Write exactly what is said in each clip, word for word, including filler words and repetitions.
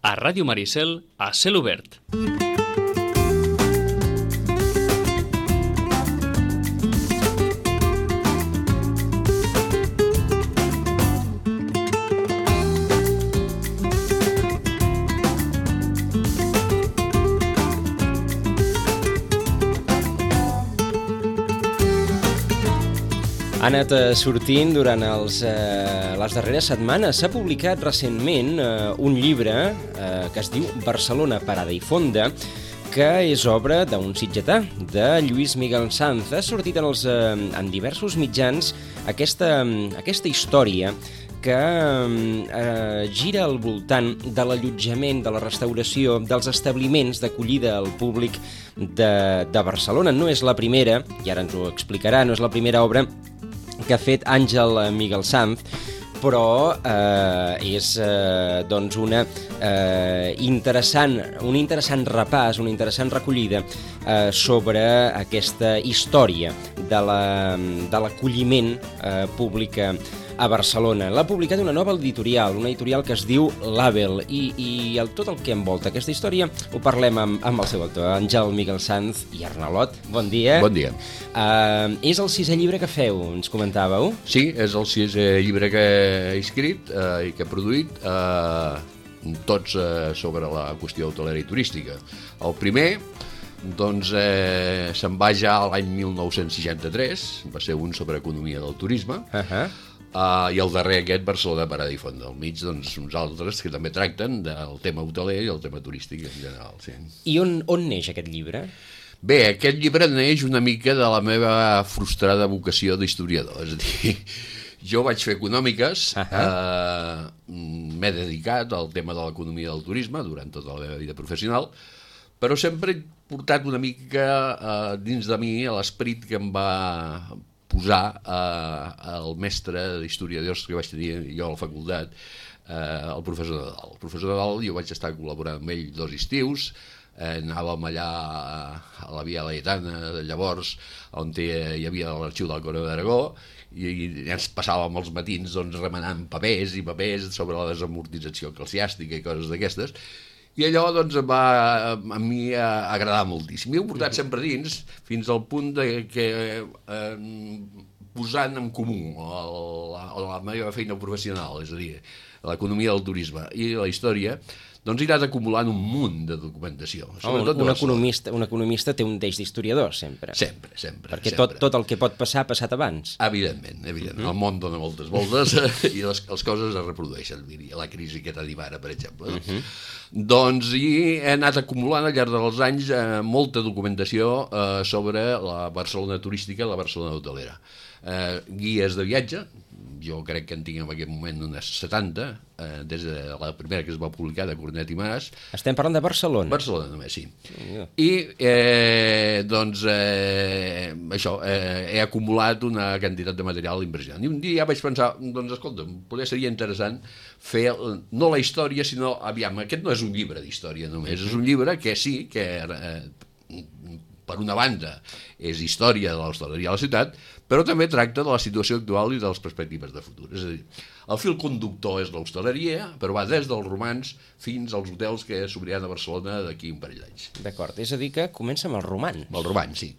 a Ràdio Maricel, a Cel Obert. Ha anat sortint durant els, eh, les darreres setmanes. S'ha publicat recentment eh, un llibre eh, que es diu Barcelona, Parada i Fonda, que és obra d'un sitgetà, de Lluís Miguel Sanz. Ha sortit en, els, eh, en diversos mitjans aquesta, aquesta història que eh, gira al voltant de l'allotjament, de la restauració, dels establiments d'acollida al públic de, de Barcelona. No és la primera, i ara ens ho explicarà, no és la primera obra que ha fet Àngel Miguel Sanz, però eh, és eh, doncs una eh, interessant, un interessant repàs, una interessant recollida eh, sobre aquesta història de la, de l'acolliment eh, públic a Barcelona. L'ha publicat una nova editorial, una editorial que es diu Label, i, i el, tot el que envolta aquesta història ho parlem amb, amb el seu autor, Àngel Miguel Sanz i Arnalot. Bon dia. Bon dia. Uh, és el sisè llibre que feu, ens comentàveu? Sí, és el sisè llibre que he escrit uh, i que he produït, uh, tots uh, sobre la qüestió hotelera i turística. El primer, doncs, eh, se'n va ja l'any mil nou-cents seixanta-tres, va ser un sobre economia del turisme, Uh-huh. Uh, i el darrer aquest, Barcelona, Parada i Fonda. Al mig, doncs, uns altres que també tracten del tema hoteler i el tema turístic en general. Sí. I on, on neix aquest llibre? Bé, aquest llibre neix una mica de la meva frustrada vocació d'historiador. És a dir, jo vaig fer econòmiques, uh-huh. eh, m'he dedicat al tema de l'economia del turisme durant tota la meva vida professional, però sempre he portat una mica eh, dins de mi l'esperit que em va posar eh, el mestre d'historiadors que vaig tenir jo a la facultat, eh, el professor Nadal. El professor Nadal, jo vaig estar col·laborant amb ell dos estius, eh, anàvem allà a la Via Laietana, llavors, on hi havia l'arxiu del Corona d'Aragó, i, i ens passàvem els matins doncs, remenant papers i papers sobre la desamortització eclesiàstica i coses d'aquestes, i allò doncs, em va a mi a agradar moltíssim. I ho he portat sempre dins, fins al punt de que eh, posant en comú la, la meva feina professional, és a dir, l'economia del turisme i la història, doncs he anat acumulant un munt de documentació. Oh, un, economista, un economista té un deix d'historiador, sempre. Sempre, sempre. Perquè sempre. Tot, tot el que pot passar ha passat abans. Evidentment, evidentment. Uh-huh. El món dona moltes voltes i les, les coses es reprodueixen. La crisi que tenim ara, per exemple. Uh-huh. Doncs i he anat acumulant al llarg dels anys eh, molta documentació eh, sobre la Barcelona turística i la Barcelona hotelera. Eh, guies de viatge, jo crec que en tinc en aquest moment unes setanta, eh, des de la primera que es va publicar de Cornet i Mas. Estem parlant de Barcelona? Barcelona només, sí. Yeah. I eh, doncs eh, això, eh, he acumulat una quantitat de material impressionant. I un dia ja vaig pensar, doncs escolta, potser seria interessant fer, no la història, sinó, aviam, aquest no és un llibre d'història només, és un llibre que sí, que eh, per una banda és història de l'hostaleria a la ciutat, però també tracta de la situació actual i de les perspectives de futur. És a dir, el fil conductor és l'hostaleria, però va des dels romans fins als hotels que s'obriran a Barcelona d'aquí un parell d'anys. D'acord, és a dir que comença amb els romans. Amb els romans, sí.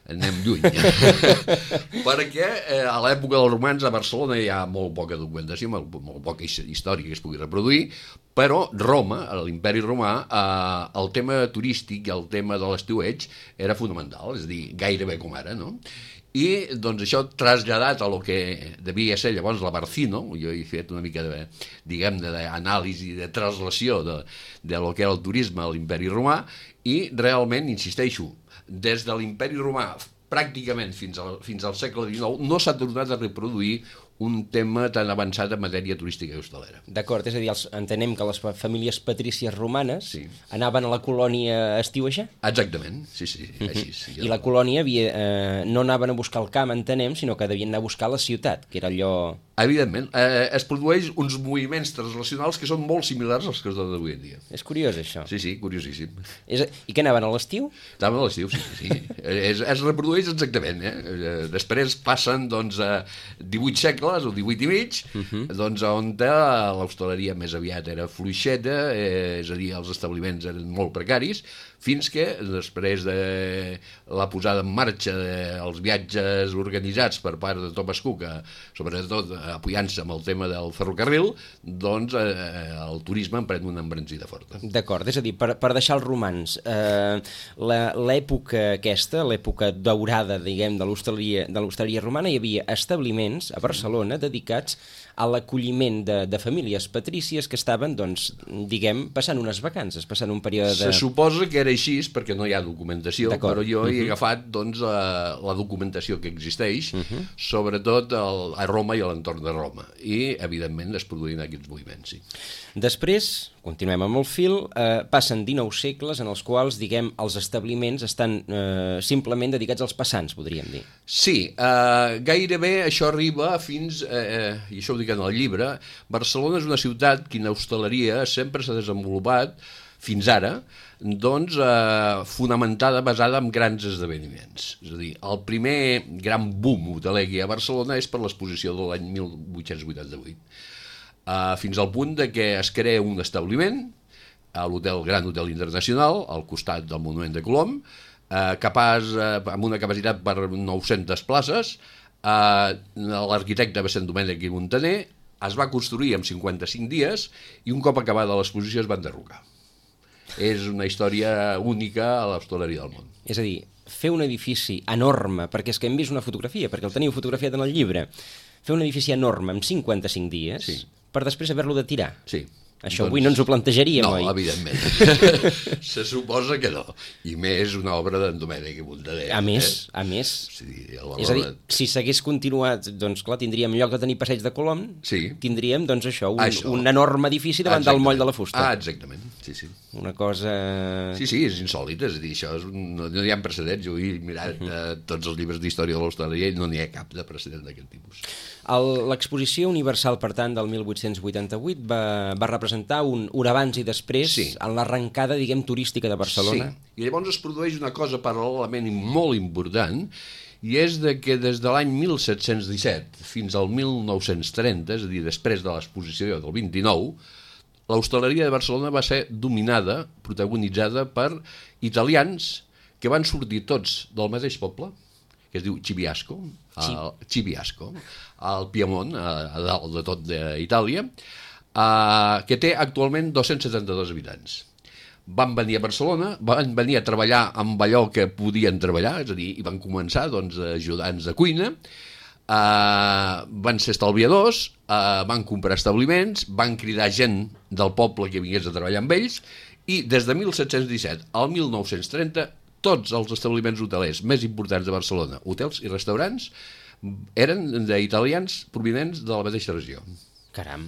Anem lluny. Perquè eh, a l'època dels romans a Barcelona hi ha molt poca documentació, molt, molt poca història que es pugui reproduir, però Roma, a l'imperi romà, eh, el tema turístic i el tema de l'estiueig era fonamental, és a dir, gairebé com ara, no? I doncs això traslladat a lo que devia ser llavors la Barcino, jo he fet una mica de, diguem-ne, d'anàlisi, de traslació de, de lo que era el turisme a l'imperi romà, i realment, insisteixo, des de l'imperi romà pràcticament fins al, fins al segle dinou no s'ha tornat a reproduir un tema tan avançat en matèria turística i hostalera. D'acord, és a dir, els, entenem que les famílies patrícies romanes sí. anaven a la colònia a estiuejar? Exactament, sí, sí, així. Sí, I la colònia havia, eh, no anaven a buscar el camp, entenem, sinó que devien anar a buscar la ciutat, que era allò Evidentment, eh, es produeix uns moviments translacionals que són molt similars als que es donen avui en dia. És curiós, això. Sí, sí, curiosíssim. És... I què anaven a l'estiu? Anaven a l'estiu, sí, sí. sí. es, es reprodueix exactament, eh? Després passen, doncs, a divuit segles o divuit i mig, uh -huh. doncs, on l'hostaleria més aviat era fluixeta, eh, és a dir, els establiments eren molt precaris, fins que, després de la posada en marxa dels viatges organitzats per part de Thomas Cook, sobretot apoyant-se amb el tema del ferrocarril, doncs eh, el turisme en pren una embranzida forta. D'acord, és a dir, per, per deixar els romans, eh, l'època aquesta, l'època daurada, diguem, de l'hostaleria de l'hostaleria romana, hi havia establiments a Barcelona dedicats a l'acolliment de, de famílies patrícies que estaven, doncs, diguem, passant unes vacances, passant un període de... Se suposa que era així, perquè no hi ha documentació, però jo uh-huh. he agafat, doncs, la, la documentació que existeix, uh-huh. sobretot el, a Roma i a l'entorn de Roma, i, evidentment, es produïen aquests moviments, sí. Després, continuem amb el fil, eh, passen dinou segles en els quals, diguem, els establiments estan eh, simplement dedicats als passants, podríem dir. Sí, eh, gairebé això arriba fins, eh, i això ho dic en el llibre, Barcelona és una ciutat que en hostaleria sempre s'ha desenvolupat, fins ara, doncs, eh, fonamentada, basada en grans esdeveniments. És a dir, el primer gran boom hoteler que hi ha a Barcelona és per l'exposició de l'any mil vuit-cents vuitanta-vuit. Uh, fins al punt de que es crea un establiment a l'hotel Gran Hotel Internacional, al costat del Monument de Colom, uh, capaç, uh, amb una capacitat per nou-centes places. Uh, l'arquitecte va ser Domènec i Montaner, es va construir en cinquanta-cinc dies i un cop acabada l'exposició es va enderrocar. És una història única a l'hostaleria del món. És a dir, fer un edifici enorme, perquè és que hem vist una fotografia, perquè el teniu fotografiat en el llibre, fer un edifici enorme en cinquanta-cinc dies... Sí. Per després haver-lo de tirar. Sí. Això doncs, avui no ens ho plantejaríem, no, oi? No, evidentment. Se suposa que no. I més una obra d'en Domènec i Montaner. A més, eh? a més. Sí, valor... És a dir, si s'hagués continuat, doncs clar, tindríem, en lloc de tenir passeig de Colom, sí. tindríem, doncs això, un, això. un enorme edifici davant exactament. Del moll de la fusta. Ah, exactament, sí, sí. Una cosa... Sí, sí, és insòlit, és a dir, això és un... no, no hi ha precedents. Jo he mirat uh -huh. eh, tots els llibres d'història de l'hostaleria i no n'hi ha cap de precedent d'aquest tipus. L'exposició universal, per tant, del mil vuit-cents vuitanta-vuit va, va representar un, un abans i després sí. en l'arrencada, diguem, turística de Barcelona. Sí, i llavors es produeix una cosa paral·lelament molt important, i és de que des de l'any mil set-cents disset fins al mil nou-cents trenta, és a dir, després de l'exposició del vint-i-nou, l'hostaleria de Barcelona va ser dominada, protagonitzada per italians que van sortir tots del mateix poble, que es diu Cibiasco, al, Cibiasco, al Piemont, a, a dalt de tot d'Itàlia, uh, que té actualment dos-cents setanta-dos habitants. Van venir a Barcelona, van venir a treballar amb allò que podien treballar, és a dir, i van començar doncs, ajudants de cuina, uh, van ser estalviadors, uh, van comprar establiments, van cridar gent del poble que vingués a treballar amb ells, i des de mil set-cents disset al mil nou-cents trenta tots els establiments hotelers més importants de Barcelona, hotels i restaurants, eren d'italians provinents de la mateixa regió. Caram.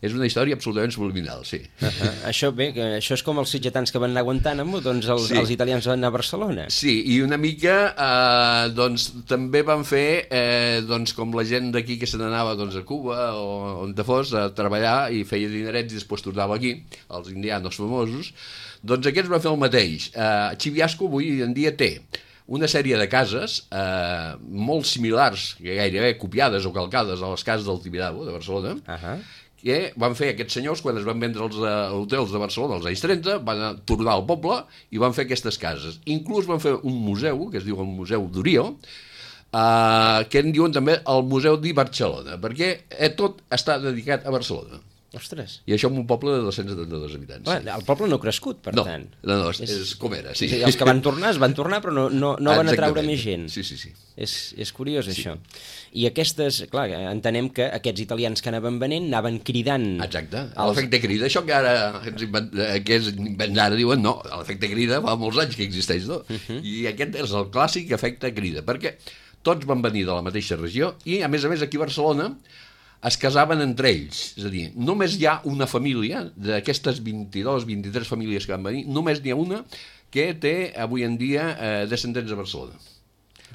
És una història absolutament subliminal, sí. Uh -huh. Això, bé, això és com els sitgetans que van anar a Guantánamo, doncs els, sí. els italians van anar a Barcelona. Sí, i una mica eh, doncs, també van fer eh, doncs, com la gent d'aquí que se n'anava doncs, a Cuba o on te fos a treballar i feia dinerets i després tornava aquí, els indianos famosos, doncs aquests van fer el mateix. Eh, Cibiasco avui en dia té una sèrie de cases eh, molt similars, gairebé copiades o calcades a les cases del Tibidabo de Barcelona, uh -huh. que van fer aquests senyors quan es van vendre els uh, hotels de Barcelona als anys trenta, van tornar al poble i van fer aquestes cases. Inclús van fer un museu, que es diu el Museu d'Orió, uh, que en diuen també el Museu di Barcelona, perquè eh, tot està dedicat a Barcelona. Ostres. I això en un poble de dos-cents setanta-dos habitants. Clar, sí. El poble no ha crescut, per no, tant. No, no, és, és com era, sí. Els que van tornar es van tornar, però no, no, no van atraure més gent. Sí, sí, sí. És, és curiós, sí. Això. I aquestes, clar, entenem que aquests italians que anaven venent anaven cridant... Exacte, els... l'efecte crida, això que ara ens invent, que és invent ara diuen, no, l'efecte crida fa molts anys que existeix, no? Uh -huh. I aquest és el clàssic efecte crida, perquè tots van venir de la mateixa regió i, a més a més, aquí a Barcelona es casaven entre ells, és a dir, només hi ha una família, d'aquestes vint-i-dos, vint-i-tres famílies que van venir, només n'hi ha una que té avui en dia eh, descendents a Barcelona,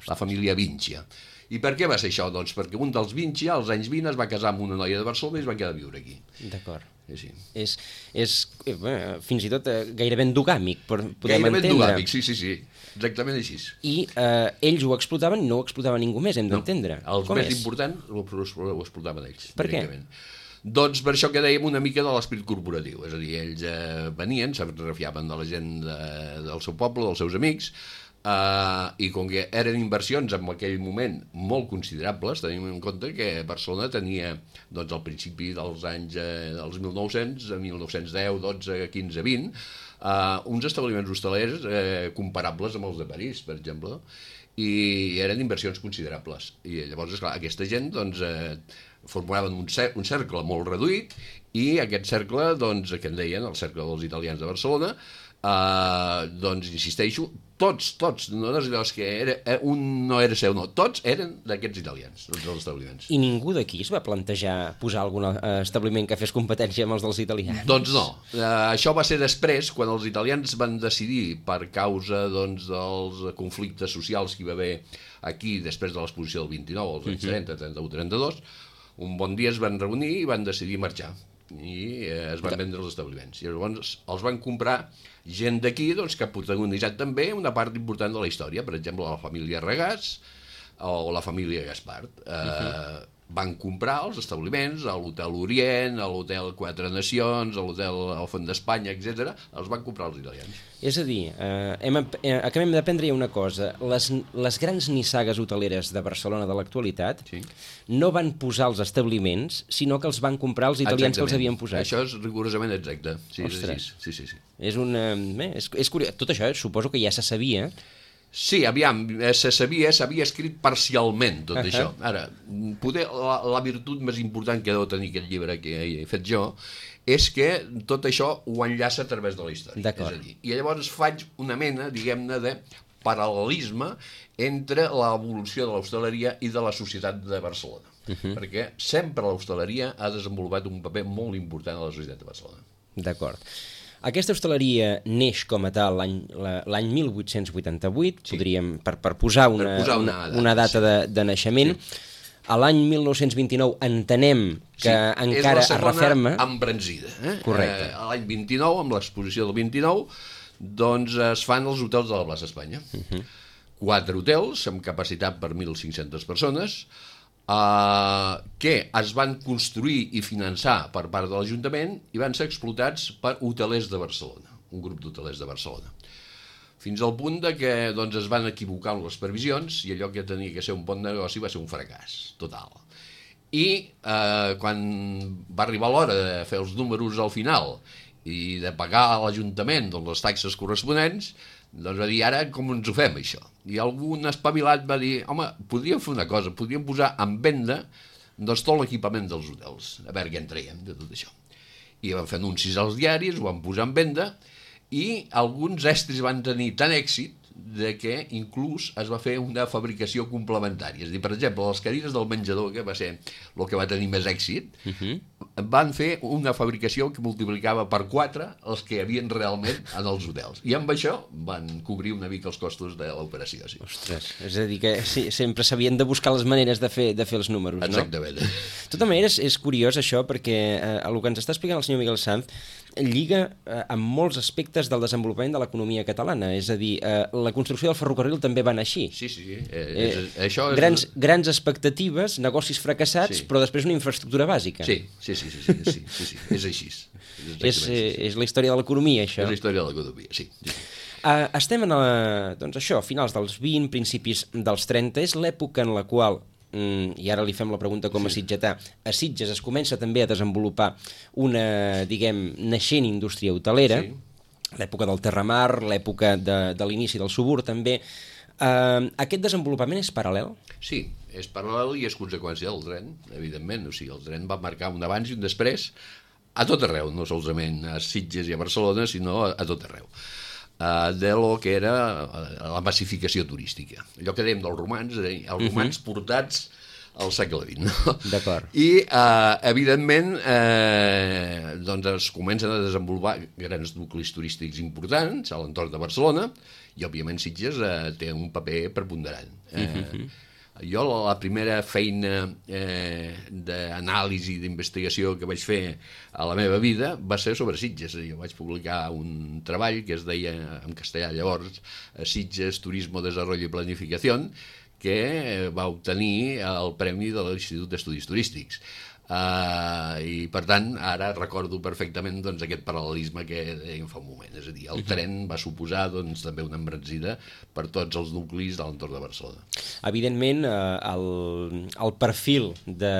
la família Vincia. I per què va ser això? Doncs perquè un dels Vinci, als anys vint, es va casar amb una noia de Barcelona i es va quedar a viure aquí. D'acord. Sí, sí. És, és eh, bueno, fins i tot eh, gairebé endogàmic, per, podem gairebé entendre. Gairebé endogàmic, sí, sí, sí. Exactament així. I eh, ells ho explotaven i no ho explotava ningú més, hem d'entendre. No, els Com més és? importants ho, ho explotaven ells. Per què? Doncs per això que dèiem una mica de l'esperit corporatiu. És a dir, ells eh, venien, se refiaven de la gent de, del seu poble, dels seus amics, Uh, i com que eren inversions en aquell moment molt considerables, tenim en compte que Barcelona tenia doncs, al principi dels anys eh, dels mil nou-cents, mil nou-cents deu, dotze, quinze, vint, uh, uns establiments hostalers eh, comparables amb els de París, per exemple, i eren inversions considerables. I llavors, esclar, aquesta gent doncs, eh, formaven un, cer un cercle molt reduït, i aquest cercle, doncs, que en deien el cercle dels italians de Barcelona, Uh, doncs insisteixo, tots, tots, no és que era, un no era seu, no, tots eren d'aquests italians, tots els establiments. I ningú d'aquí es va plantejar posar algun establiment que fes competència amb els dels italians? Doncs no, uh, això va ser després, quan els italians van decidir, per causa doncs, dels conflictes socials que hi va haver aquí després de l'exposició del vint-i-nou, als anys trenta, trenta-u, trenta-dos, un bon dia es van reunir i van decidir marxar i eh, es van vendre els establiments. I llavors els van comprar gent d'aquí doncs, que ha protagonitzat també una part important de la història, per exemple, la família Regàs o la família Gaspart. Eh, uh-huh. Van comprar els establiments, a l'Hotel Orient, a l'Hotel Quatre Nacions, a l'Hotel El Font d'Espanya, etcètera. Els van comprar els italians. És a dir, eh, hem, eh, acabem d'aprendre una cosa. Les, les grans nissagues hoteleres de Barcelona de l'actualitat sí. no van posar els establiments, sinó que els van comprar els italians Exactament. Que els havien posat. Això és rigorosament exacte. Sí, Ostres. Sí, sí, sí. És un, eh, és, és curiós. Tot això suposo que ja se sabia. Sí, aviam, se sabia, s'havia escrit parcialment tot uh -huh. això. Ara, poder, la, la virtut més important que deu tenir aquest llibre que he fet jo és que tot això ho enllaça a través de la història. És a dir, i llavors faig una mena, diguem-ne, de paral·lelisme entre l'evolució de l'hostaleria i de la societat de Barcelona. Uh -huh. Perquè sempre l'hostaleria ha desenvolupat un paper molt important a la societat de Barcelona. D'acord. Aquesta hostaleria neix com a tal l'any mil vuit-cents vuitanta-vuit, sí. podríem, per, per posar una, per posar una, una data, una data sí. de, de naixement. Sí. A l'any mil nou-cents vint-i-nou entenem que sí, encara es referma... És la segona embranzida. Eh? Correcte. Eh, L'any vint-i-nou, amb l'exposició del vint-i-nou, doncs es fan els hotels de la plaça Espanya. Uh -huh. Quatre hotels amb capacitat per mil cinc-centes persones, Uh, que es van construir i finançar per part de l'Ajuntament i van ser explotats per hotelers de Barcelona, un grup d'hotelers de Barcelona. Fins al punt de que doncs, es van equivocar amb les previsions i allò que tenia que ser un bon negoci va ser un fracàs total. I uh, quan va arribar l'hora de fer els números al final i de pagar a l'Ajuntament doncs, les taxes corresponents, doncs va dir, ara com ens ho fem, això? I algun espavilat va dir, home, podríem fer una cosa, podríem posar en venda doncs, tot l'equipament dels hotels, a veure què en traiem de tot això. I van fer anuncis als diaris, ho van posar en venda, i alguns estris van tenir tant èxit de que inclús es va fer una fabricació complementària. És a dir, per exemple, les cadires del menjador, que va ser el que va tenir més èxit, uh -huh. van fer una fabricació que multiplicava per quatre els que hi havien realment en els hotels. I amb això van cobrir una mica els costos de l'operació. Sí. Ostres, és a dir, que sí, sempre s'havien de buscar les maneres de fer, de fer els números, Exactament. no? Exactament. De tota manera, és, és curiós això, perquè eh, el que ens està explicant el senyor Miguel Sanz lliga eh, amb molts aspectes del desenvolupament de l'economia catalana. És a dir, eh, la construcció del ferrocarril també va anar així. Sí, sí, sí. Eh, és, eh, això és... Grans, grans expectatives, negocis fracassats, sí. però després una infraestructura bàsica. Sí, sí, sí, sí, sí, sí, sí, sí. És així. És, és, és la història de l'economia, això. És la història de l'economia, sí. sí. Uh, estem en la, doncs això, finals dels vint, principis dels trenta, és l'època en la qual, mm, i ara li fem la pregunta com a sí. sitgetà, a Sitges es comença també a desenvolupar una, diguem, naixent indústria hotelera, sí. l'època del Terramar, l'època de, de l'inici del Subur també. Uh, aquest desenvolupament és paral·lel? Sí, és paral·lel i és conseqüència del tren, evidentment. O sigui, el tren va marcar un abans i un després a tot arreu, no solament a Sitges i a Barcelona, sinó a, a tot arreu. Uh, de lo que era la massificació turística. Allò que dèiem dels romans, els romans uh-huh. portats al segle vint. No? D'acord. I, uh, evidentment, eh, doncs es comencen a desenvolupar grans nuclis turístics importants a l'entorn de Barcelona i, òbviament, Sitges eh, té un paper preponderant. Eh, uh-huh. Jo la primera feina eh, d'anàlisi, d'investigació que vaig fer a la meva vida va ser sobre Sitges. Jo vaig publicar un treball que es deia en castellà llavors Sitges, Turismo, Desarrollo y Planificación, que va obtenir el premi de l'Institut d'Estudis Turístics. Uh, i per tant ara recordo perfectament doncs, aquest paral·lelisme que dèiem fa un moment, és a dir, el tren va suposar doncs, també una embranzida per tots els nuclis de l'entorn de Barcelona. Evidentment eh, el, el perfil de,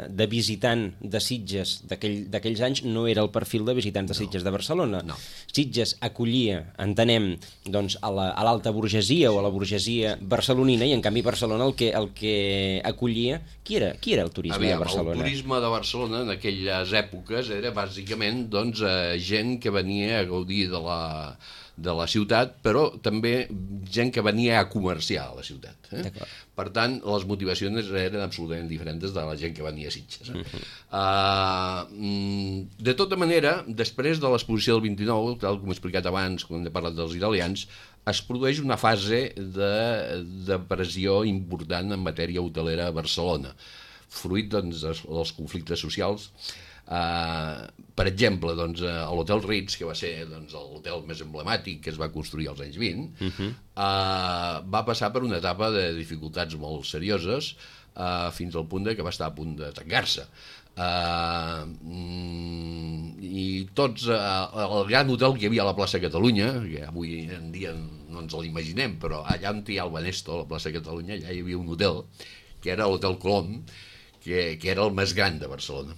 de visitant de Sitges d'aquells aquell, anys no era el perfil de visitants de Sitges no, de Barcelona. No. Sitges acollia, entenem, doncs, a l'alta burgesia o a la burgesia barcelonina, i en canvi Barcelona el que, el que acollia, qui era, qui era el turisme Aviam, de Barcelona? El turisme de Barcelona en aquelles èpoques era bàsicament doncs, eh, gent que venia a gaudir de la, de la ciutat, però també gent que venia a comerciar a la ciutat. Eh? Per tant, les motivacions eren absolutament diferents de la gent que venia a Sitges. Eh? Uh-huh. uh, de tota manera, després de l'exposició del vint-i-nou, tal com he explicat abans, quan he parlat dels italians, es produeix una fase de, de pressió important en matèria hotelera a Barcelona, fruit doncs, dels conflictes socials. Uh, per exemple, doncs, a l'Hotel Ritz, que va ser doncs, l'hotel més emblemàtic que es va construir als anys vint, uh-huh. uh, va passar per una etapa de dificultats molt serioses uh, fins al punt de que va estar a punt de tancar-se. Uh, i tots, uh, el gran hotel que hi havia a la plaça Catalunya, que avui en dia no ens l'imaginem, però allà on hi ha el Banesto, a la plaça Catalunya, allà hi havia un hotel, que era l'Hotel Colom, que, que era el més gran de Barcelona.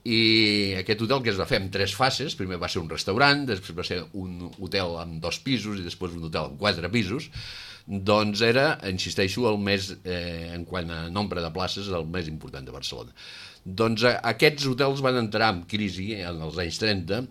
I aquest hotel que es va fer en tres fases, primer va ser un restaurant, després va ser un hotel amb dos pisos i després un hotel amb quatre pisos, doncs era, insisteixo, el més, eh, en quant a nombre de places, el més important de Barcelona. Doncs eh, aquests hotels van entrar en crisi en els anys trenta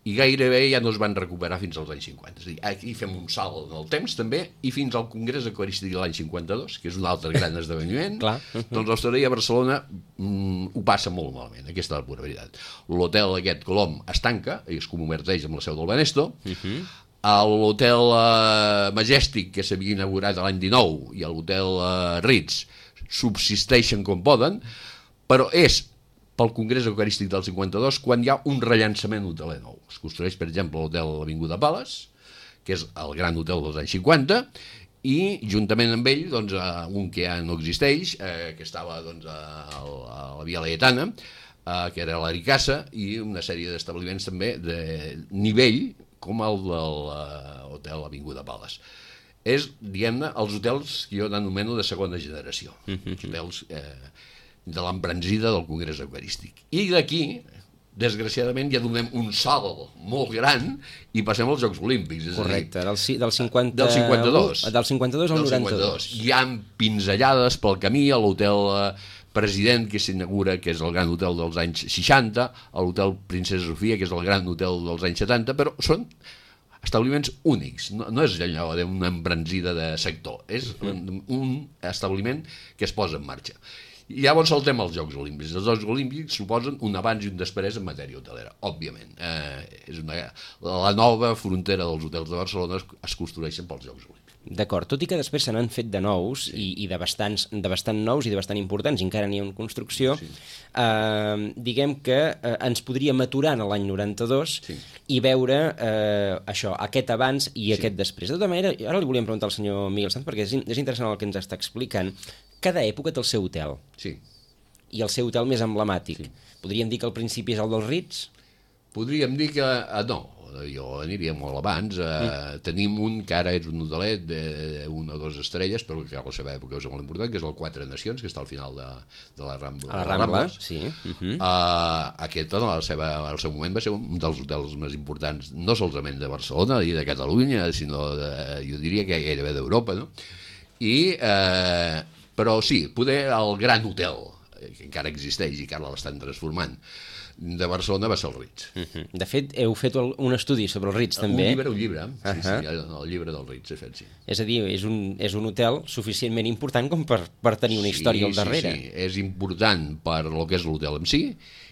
i gairebé ja no es van recuperar fins als anys cinquanta. És a dir, aquí fem un salt en el temps també, i fins al Congrés Eucarístic de l'any cinquanta-dos, que és un altre gran esdeveniment, doncs l'hostaleria a Barcelona mm, ho passa molt malament, aquesta és la pura veritat. L'hotel aquest Colom es tanca i es converteix amb la seu del Banesto, uh-huh. L'hotel uh, Majestic, que s'havia inaugurat l'any dinou, i l'hotel uh, Ritz subsisteixen com poden, però és pel Congrés Eucarístic del cinquanta-dos quan hi ha un rellançament hoteler nou. Es construeix, per exemple, l'hotel Avinguda Palace, que és el gran hotel dels anys cinquanta, i juntament amb ell, doncs, un que ja no existeix, eh, que estava doncs, a, a la Via Laietana, eh, que era l'Aricassa, i una sèrie d'establiments també de nivell, com el de l'hotel Avinguda Palace. És, diguem-ne, els hotels que jo anomeno de segona generació. Mm-hmm. Hotels eh, de l'embranzida del Congrés Eucarístic. I d'aquí, desgraciadament, ja donem un salt molt gran i passem als Jocs Olímpics. Correcte, del, del, cinquanta... del cinquanta-dos. Del cinquanta-dos al noranta-dos. Hi ha pinzellades pel camí a l'hotel President, que s'inaugura, que és el gran hotel dels anys seixanta, a l'hotel Princesa Sofia, que és el gran hotel dels anys setanta, però són establiments únics, no, no és allò d'una embranzida de sector, és un, un establiment que es posa en marxa. I llavors saltem als Jocs Olímpics. Els Jocs Olímpics suposen un abans i un després en matèria hotelera, òbviament. Eh, és una, la nova frontera dels hotels de Barcelona es, es construeixen pels Jocs Olímpics. D'acord, tot i que després se n'han fet de nous, sí. i, i de, bastants, de bastant nous i de bastant importants, i encara n'hi ha en construcció, sí. eh, diguem que eh, ens podríem aturar en l'any noranta-dos sí. i veure eh, això, aquest abans i sí. aquest després. De tota manera, ara li volíem preguntar al senyor Miguel Sanz, perquè és, és interessant el que ens està explicant. Cada època té el seu hotel. Sí. I el seu hotel més emblemàtic. Sí. Podríem dir que al principi és el dels Ritz? Podríem dir que... Eh, no, jo aniria molt abans. Eh, mm. Tenim un que ara és un hotelet d'una o dues estrelles, però que a la seva època és molt important, que és el Quatre Nacions, que està al final de, de la Rambla. A la Rambla, sí. Uh-huh. uh, aquest, en el, seva, el seu moment, va ser un dels hotels més importants, no solament de Barcelona i de Catalunya, sinó, de, jo diria que gairebé d'Europa, no? I... Eh, però sí, poder el gran hotel, que encara existeix i que ara l'estan transformant, de Barcelona va ser el Ritz. Uh-huh. De fet, heu fet un estudi sobre el Ritz, també. Un llibre, un llibre, sí, uh-huh. sí, el llibre del Ritz he fet, sí. És a dir, és un, és un hotel suficientment important com per, per tenir una història sí, al darrere. Sí, sí, és important per lo que és l'hotel en si,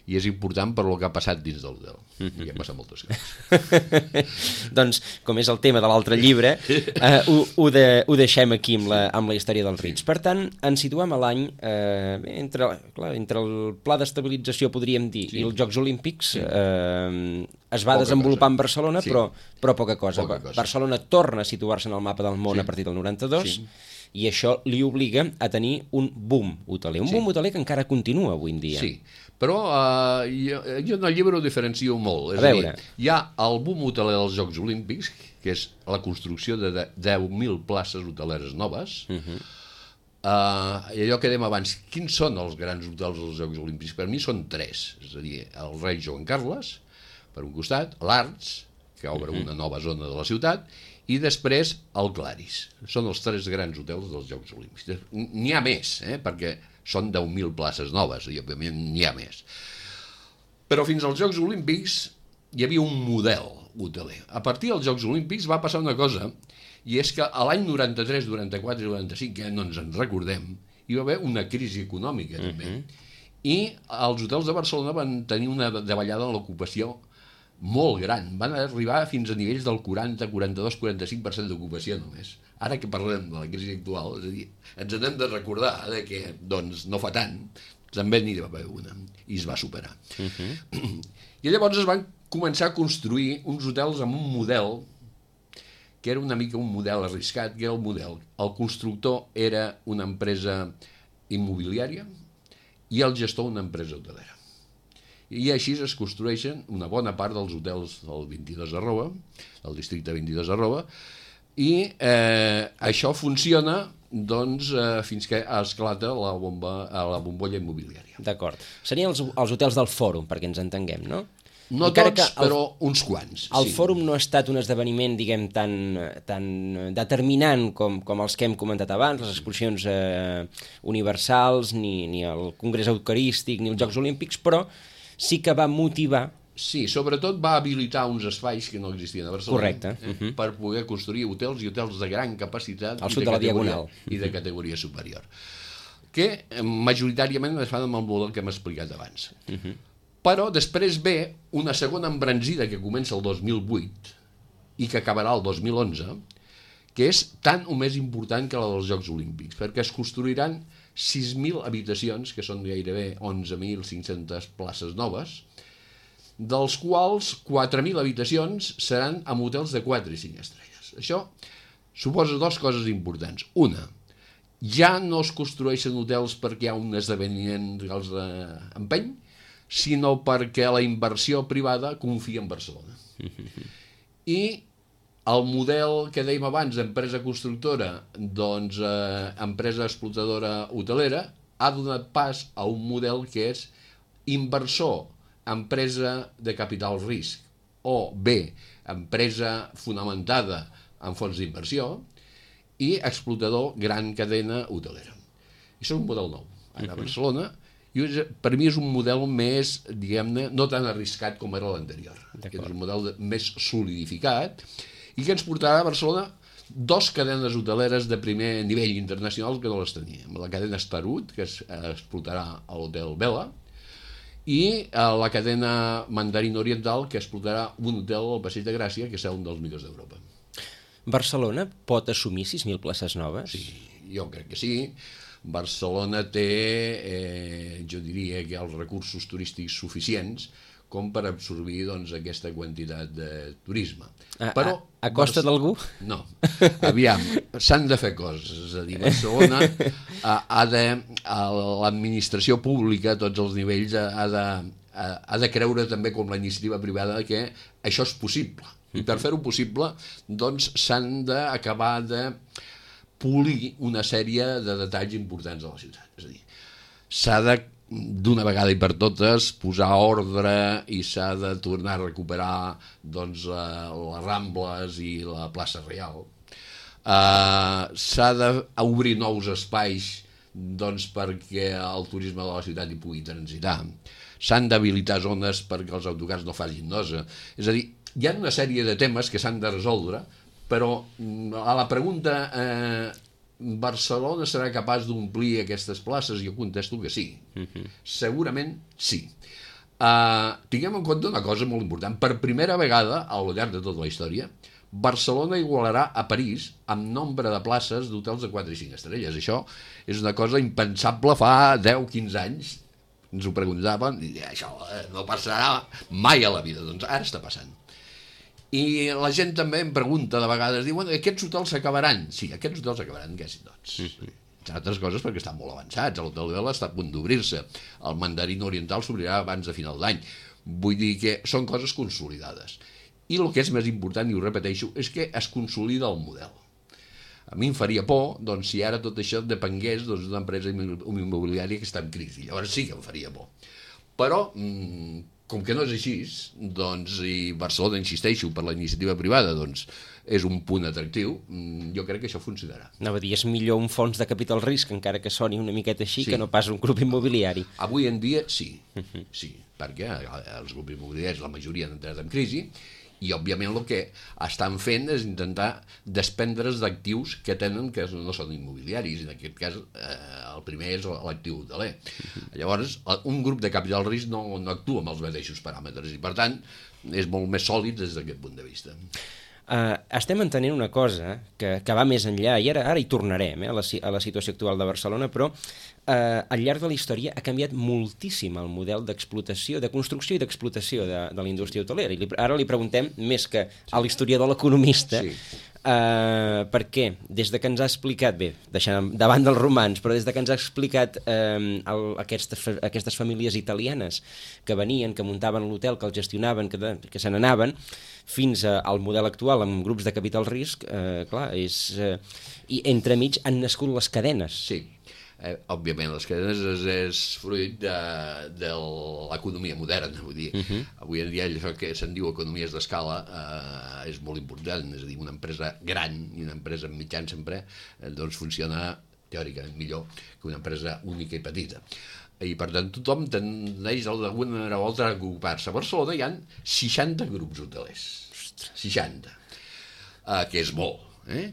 i és important per lo que ha passat dins del hotel. I han passat moltes coses. Doncs, com és el tema de l'altre llibre, eh, ho, ho, de, ho deixem aquí amb la, amb la història dels Ritz. Per tant, ens situem a l'any, eh, entre, clar, entre el pla d'estabilització, podríem dir, sí. i els Jocs Olímpics, sí. eh, es va poca desenvolupar cosa. En Barcelona, sí. però, però poca cosa. Poca cosa. Barcelona torna a situar-se en el mapa del món sí. a partir del noranta-dos, sí. i això li obliga a tenir un boom hoteler. Un sí. boom hoteler que encara continua avui en dia. Sí, però uh, jo, jo en el llibre ho diferencio molt. És a, a veure. Dir, hi ha el boom hoteler dels Jocs Olímpics, que és la construcció de deu mil places hoteleres noves. Uh-huh. uh, I allò que dèiem abans, quins són els grans hotels dels Jocs Olímpics? Per mi són tres. És a dir, el rei Joan Carles, per un costat, l'Arts, que obre uh-huh. una nova zona de la ciutat, i després el Claris. Són els tres grans hotels dels Jocs Olímpics. N'hi ha més, eh? Perquè són deu mil places noves, i òbviament n'hi ha més. Però fins als Jocs Olímpics hi havia un model hoteler. A partir dels Jocs Olímpics va passar una cosa, i és que a l'any noranta-tres, noranta-quatre i noranta-cinc, que no ens en recordem, hi va haver una crisi econòmica, també. Uh-huh. I els hotels de Barcelona van tenir una davallada en l'ocupació molt gran, van arribar fins a nivells del quaranta, quaranta-dos, quaranta-cinc per cent d'ocupació només. Ara que parlem de la crisi actual, és a dir, ens n'hem de recordar de que doncs, no fa tant, també n'hi va haver una, i es va superar. Uh-huh. I llavors es van començar a construir uns hotels amb un model que era una mica un model arriscat, que era el model. El constructor era una empresa immobiliària i el gestor una empresa hotelera. I així es construeixen una bona part dels hotels del vint-i-dos arroba, del districte vint-i-dos arroba, i eh, això funciona doncs, eh, fins que esclata la, bomba, la bombolla immobiliària. D'acord. Serien els, els hotels del Fòrum, perquè ens entenguem, no? No Encara tots, el, però uns quants. El sí. Fòrum no ha estat un esdeveniment, diguem, tan, tan determinant com, com els que hem comentat abans, les exposicions eh, universals, ni, ni el Congrés Eucarístic, ni els Jocs Olímpics, però sí que va motivar... Sí, sobretot va habilitar uns espais que no existien a Barcelona. Correcte. Eh, uh-huh. Per poder construir hotels i hotels de gran capacitat al sud de, de la Diagonal i de categoria superior, que majoritàriament es fan amb el model que hem explicat abans. Uh-huh. Però després ve una segona embranzida que comença el dos mil vuit i que acabarà el dos mil onze, que és tant o més important que la dels Jocs Olímpics, perquè es construiran sis mil habitacions, que són gairebé onze mil cinc-centes places noves, dels quals quatre mil habitacions seran amb hotels de quatre i cinc estrelles. Això suposa dues coses importants. Una, ja no es construeixen hotels perquè hi ha un esdeveniment que els empeny, sinó perquè la inversió privada confia en Barcelona. I el model que dèiem abans d'empresa constructora, doncs eh, empresa explotadora hotelera, ha donat pas a un model que és inversor, empresa de capital risc, o bé, empresa fonamentada en fons d'inversió, i explotador gran cadena hotelera. Això és un model nou. Ara a Barcelona, i per mi és un model més, diguem-ne, no tan arriscat com era l'anterior. És un model més solidificat, i que ens portarà a Barcelona dos cadenes hoteleres de primer nivell internacional que no les tenia. La cadena Starwood, que es explotarà a l'hotel Vela, i la cadena Mandarín Oriental, que explotarà un hotel al Passeig de Gràcia, que serà un dels millors d'Europa. Barcelona pot assumir sis mil places noves? Sí, jo crec que sí. Barcelona té, eh, jo diria que els recursos turístics suficients com per absorbir doncs, aquesta quantitat de turisme. A, Però, a, a costa Bar... d'algú? No. Aviam, s'han de fer coses. És a dir, Barcelona ha, ha de, l'administració pública, a tots els nivells, ha de, ha de creure també com la iniciativa privada que això és possible. I per fer-ho possible, doncs s'han d'acabar de polir una sèrie de detalls importants de la ciutat. És a dir, s'ha de d'una vegada i per totes posar ordre i s'ha de tornar a recuperar doncs, les Rambles i la plaça Reial. Uh, s'ha d'obrir nous espais doncs, perquè el turisme de la ciutat hi pugui transitar. S'han d'habilitar zones perquè els autocars no facin nosa. És a dir, hi ha una sèrie de temes que s'han de resoldre, però a la pregunta eh, Barcelona serà capaç d'omplir aquestes places? Jo contesto que sí. Uh-huh. Segurament sí. Uh, tinguem en compte una cosa molt important. Per primera vegada, al llarg de tota la història, Barcelona igualarà a París amb nombre de places d'hotels de quatre i cinc estrelles. Això és una cosa impensable fa deu o quinze anys. Ens ho preguntaven i això no passarà mai a la vida. Doncs ara està passant. I la gent també em pregunta de vegades, diuen, aquests hotels s'acabaran? Sí, aquests hotels s'acabaran quasi tots. Mm-hmm. Entre altres coses perquè estan molt avançats. L'Hotel Vela està a punt d'obrir-se. El Mandarín Oriental s'obrirà abans de final d'any. Vull dir que són coses consolidades. I el que és més important, i ho repeteixo, és que es consolida el model. A mi em faria por, doncs, si ara tot això depengués doncs, d'una empresa immobiliària que està en crisi. Llavors sí que em faria por. Però, com que no és així, doncs, i Barcelona, insisteixo, per la iniciativa privada, doncs, és un punt atractiu, jo crec que això funcionarà. Anava a dir, és millor un fons de capital risc, encara que soni una miqueta així, sí, que no pas un grup immobiliari. Avui en dia sí, sí, perquè els grups immobiliaris, la majoria han entrat en crisi, i òbviament el que estan fent és intentar desprendre's d'actius que tenen que no són immobiliaris, en aquest cas eh, el primer és l'actiu hoteler. Llavors, un grup de capital risc no, no actua amb els mateixos paràmetres i per tant és molt més sòlid des d'aquest punt de vista. Uh, estem entenent una cosa que, que va més enllà, i ara, ara hi tornarem eh, a, la, a la situació actual de Barcelona, però uh, al llarg de la història ha canviat moltíssim el model d'explotació, de construcció i d'explotació de, de la indústria hotelera. I li, ara li preguntem, més que a l'historiador, l'economista, sí. uh, perquè des de que ens ha explicat, bé, deixant davant dels romans, però des de que ens ha explicat uh, el, aquestes, aquestes famílies italianes que venien, que muntaven l'hotel, que el gestionaven, que, de, que se n'anaven, fins al model actual amb grups de capital risc, eh, clar, és... Eh, i entremig han nascut les cadenes. Sí, eh, òbviament les cadenes és, és fruit de, de l'economia moderna, vull dir. Uh-huh. Avui en dia això que se'n diu economies d'escala eh, és molt important, és a dir, una empresa gran i una empresa mitjana sempre eh, doncs funciona teòricament millor que una empresa única i petita. I per tant tothom tendeix d'alguna manera o altra a ocupar-se. A Barcelona hi ha seixanta grups hotelers. seixanta. Uh, que és molt. Eh?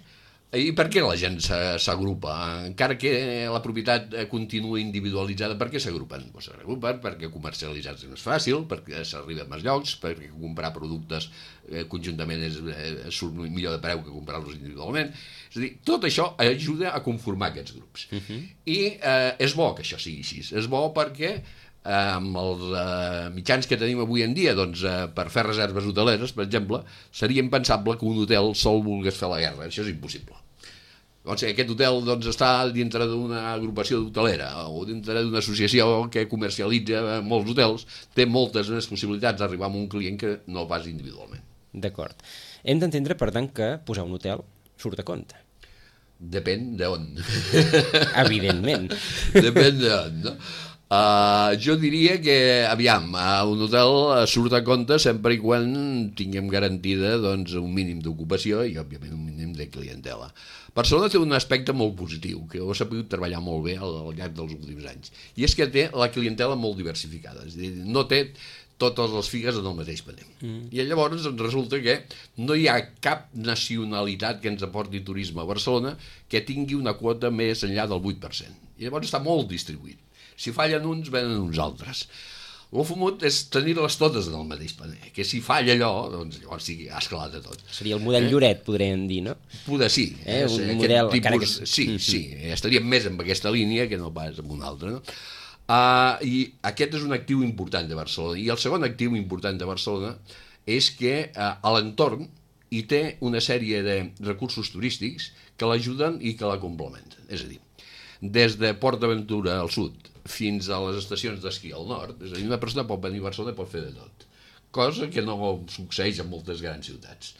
I per què la gent s'agrupa? Encara que la propietat continua individualitzada, per què s'agrupen? Pues s'agrupen perquè comercialitzar és més fàcil, perquè s'arriba a més llocs, perquè comprar productes eh, conjuntament és, eh, surt millor de preu que comprar-los individualment. És a dir, tot això ajuda a conformar aquests grups. Uh-huh. I eh, és bo que això sigui així. És bo perquè eh, amb els eh, mitjans que tenim avui en dia, doncs, eh, per fer reserves hoteleres, per exemple, seria impensable que un hotel sol volgués fer la guerra. Això és impossible. Doncs aquest hotel doncs, està dintre d'una agrupació hotelera o dintre d'una associació que comercialitza molts hotels, té moltes més possibilitats d'arribar a un client que no pas individualment. D'acord. Hem d'entendre, per tant, que posar un hotel surt a compte. Depèn d'on. Evidentment. Depèn d'on, no? Uh, jo diria que, aviam, uh, un hotel surt a compte sempre i quan tinguem garantida doncs, un mínim d'ocupació i, òbviament, un mínim de clientela. Barcelona té un aspecte molt positiu, que ho s'ha pogut treballar molt bé al, al llarg dels últims anys, i és que té la clientela molt diversificada, és a dir, no té totes les figues en el mateix paner. Mm. I llavors doncs, resulta que no hi ha cap nacionalitat que ens aporti turisme a Barcelona que tingui una quota més enllà del vuit per cent. I llavors està molt distribuït. Si fallen uns, venen uns altres. El fumut és tenir-les totes en el mateix paner, que si falla allò, doncs llavors sí que ha esclat de tot. Seria el model eh? Lloret, podríem dir, no? Poder sí. Eh? Un model... Tipus, que... Sí, sí, estaríem més en aquesta línia que no pas en una altra, no? Uh, I aquest és un actiu important de Barcelona. I el segon actiu important de Barcelona és que uh, a l'entorn hi té una sèrie de recursos turístics que l'ajuden i que la complementen. És a dir, des de Port d'Aventura al sud fins a les estacions d'esquí al nord, és a dir, una persona pot venir a Barcelona i pot fer de tot. Cosa que no succeeix en moltes grans ciutats.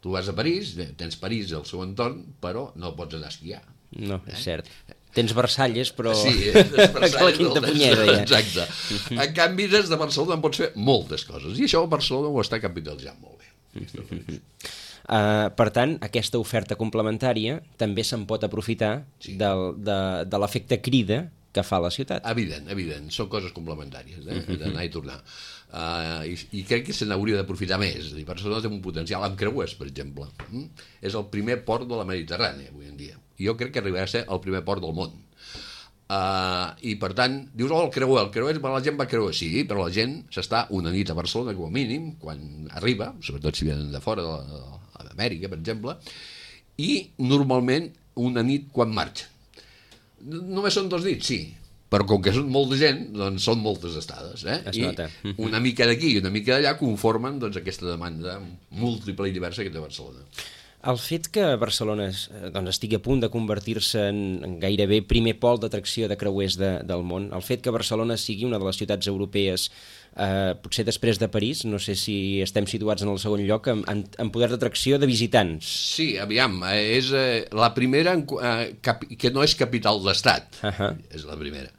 Tu vas a París, tens París al seu entorn, però no pots anar a esquiar. No, és eh? cert. Tens Versalles, però... Sí, tens Versalles, la quinta punyera, ja. Exacte. En canvi, des de Barcelona en pots fer moltes coses, i això Barcelona ho està capitalitzant molt bé. Uh, per tant, aquesta oferta complementària també se'n pot aprofitar sí. del, de, de l'efecte crida que fa la ciutat. Evident, evident. Són coses complementàries, eh? D'anar i tornar. Uh, i, I crec que se n'hauria d'aprofitar més. És a dir, Barcelona té un potencial amb creuers, per exemple. Mm? És el primer port de la Mediterrània, avui en dia. I jo crec que arribarà a ser el primer port del món. Uh, I per tant, dius, oh, el creuer, el creuer, la gent va creuer, sí, però la gent s'està una nit a Barcelona com a mínim, quan arriba, sobretot si venen de fora d'Amèrica, per exemple, i normalment una nit quan marxa. Només són dos nits, sí, però com que són molta gent, doncs són moltes estades, eh? Es I nota. una mica d'aquí i una mica d'allà conformen doncs, aquesta demanda múltiple i diversa que té Barcelona. El fet que Barcelona doncs, estigui a punt de convertir-se en, en gairebé primer pol d'atracció de creuers de, del món, el fet que Barcelona sigui una de les ciutats europees, eh, potser després de París, no sé si estem situats en el segon lloc, en, en, en poder d'atracció de visitants. Sí, aviam, és eh, la primera eh, cap, que no és capital d'estat, uh-huh. és la primera.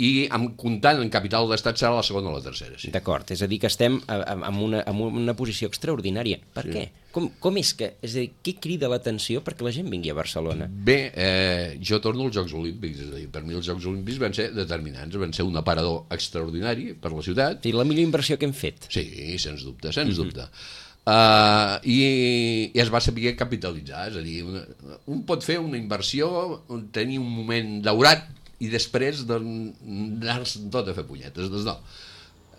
I amb, comptant en capital d'estat serà la segona o la tercera. Sí. D'acord, és a dir que estem en una, en una posició extraordinària. Per sí. què? Com, com és que, és a dir, què crida l'atenció perquè la gent vingui a Barcelona? Bé, eh, jo torno als Jocs Olímpics, és a dir, per mi els Jocs Olímpics van ser determinants, van ser un aparador extraordinari per la ciutat. Sí, la millor inversió que hem fet. Sí, sens dubte, sens mm-hmm. dubte. Uh, i, i es va saber capitalitzar, és a dir, una, un pot fer una inversió, tenir un moment daurat i després doncs, anar-se'n tot a fer punyetes. Doncs no.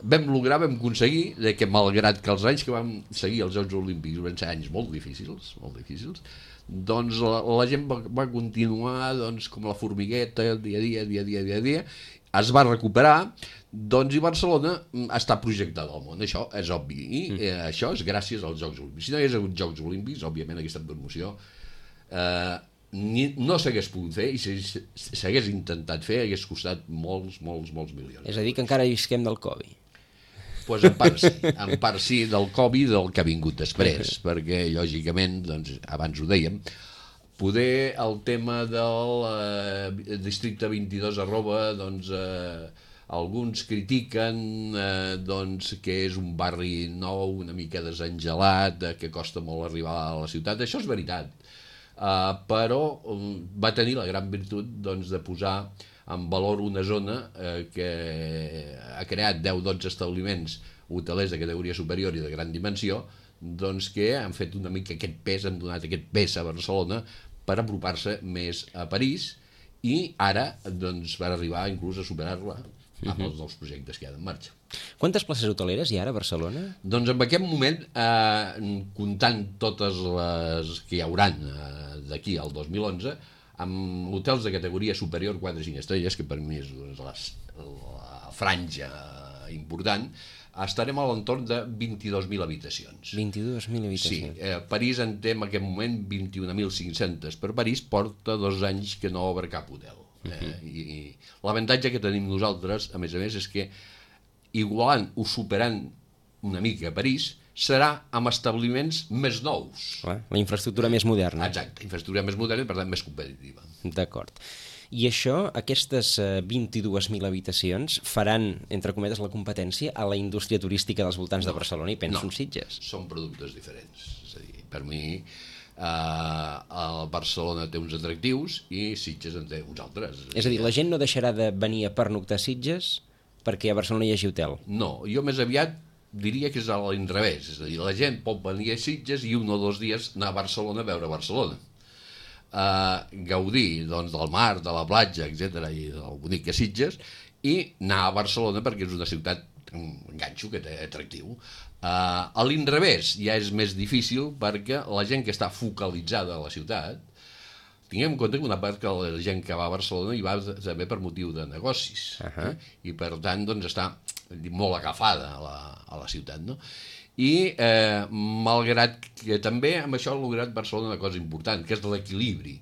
Vam lograr, vam aconseguir que malgrat que els anys que vam seguir els Jocs Olímpics van ser anys molt difícils, molt difícils, doncs la, la gent va, va continuar doncs, com la formigueta, dia a dia, dia a dia, dia a dia, es va recuperar, doncs i Barcelona està projectada al món, això és obvi, i eh, això és gràcies als Jocs Olímpics. Si no hi hagués hagut Jocs Olímpics, òbviament aquesta promoció eh, Ni, no s'hagués pogut fer i s'hagués intentat fer hagués costat molts, molts, molts milions. És a dir que encara visquem del Covid. Doncs pues en part sí, en part sí del Covid del que ha vingut després, perquè lògicament, doncs, abans ho dèiem, poder el tema del eh, districte vint-i-dos arroba, doncs eh, alguns critiquen eh, doncs, que és un barri nou, una mica desengelat, eh, que costa molt arribar a la ciutat, això és veritat. Uh, però um, va tenir la gran virtut doncs, de posar en valor una zona uh, que ha creat deu o dotze establiments hotelers de categoria superior i de gran dimensió, doncs que han fet una mica aquest pes, han donat aquest pes a Barcelona per apropar-se més a París i ara doncs, van arribar inclús a superar-la amb els nous projectes que hi ha en marxa. Quantes places hoteleres hi ha ara a Barcelona? Doncs en aquest moment, eh, comptant totes les que hi hauran eh, d'aquí al dos mil onze, amb hotels de categoria superior quatre i cinc estrelles, que per mi és doncs, les, la franja important, estarem a l'entorn de vint-i-dos mil habitacions. vint-i-dos mil habitacions. Sí, eh, París en té en aquest moment vint-i-un mil cinc-cents, per París porta dos anys que no obre cap hotel. Eh? Uh-huh. I, i l'avantatge que tenim nosaltres, a més a més, és que igualant o superant una mica a París, serà amb establiments més nous. Clar, la infraestructura més moderna. Exacte, infraestructura més moderna i per tant més competitiva. D'acord. I això, aquestes vint-i-dues mil habitacions, faran, entre cometes, la competència a la indústria turística dels voltants no, de Barcelona i penso no, en Sitges. Són productes diferents. És a dir, per mi, Uh, Barcelona té uns atractius i Sitges en té uns altres. És a dir, la gent no deixarà de venir a pernoctar a Sitges perquè a Barcelona hi hagi hotel? No, jo més aviat diria que és a l'inrevés, és a dir, la gent pot venir a Sitges i un o dos dies anar a Barcelona a veure Barcelona. Uh, gaudir doncs, del mar, de la platja, etcètera i del bonic que Sitges, i anar a Barcelona perquè és una ciutat, un ganxo que té atractiu. Uh, a l'inrevés ja és més difícil perquè la gent que està focalitzada a la ciutat, tinguem en compte que una part que la gent que va a Barcelona hi va també per motiu de negocis, uh-huh. eh? I per tant doncs, està molt agafada a la, a la ciutat, no? I eh, malgrat que també amb això ha lograt Barcelona una cosa important, que és l'equilibri.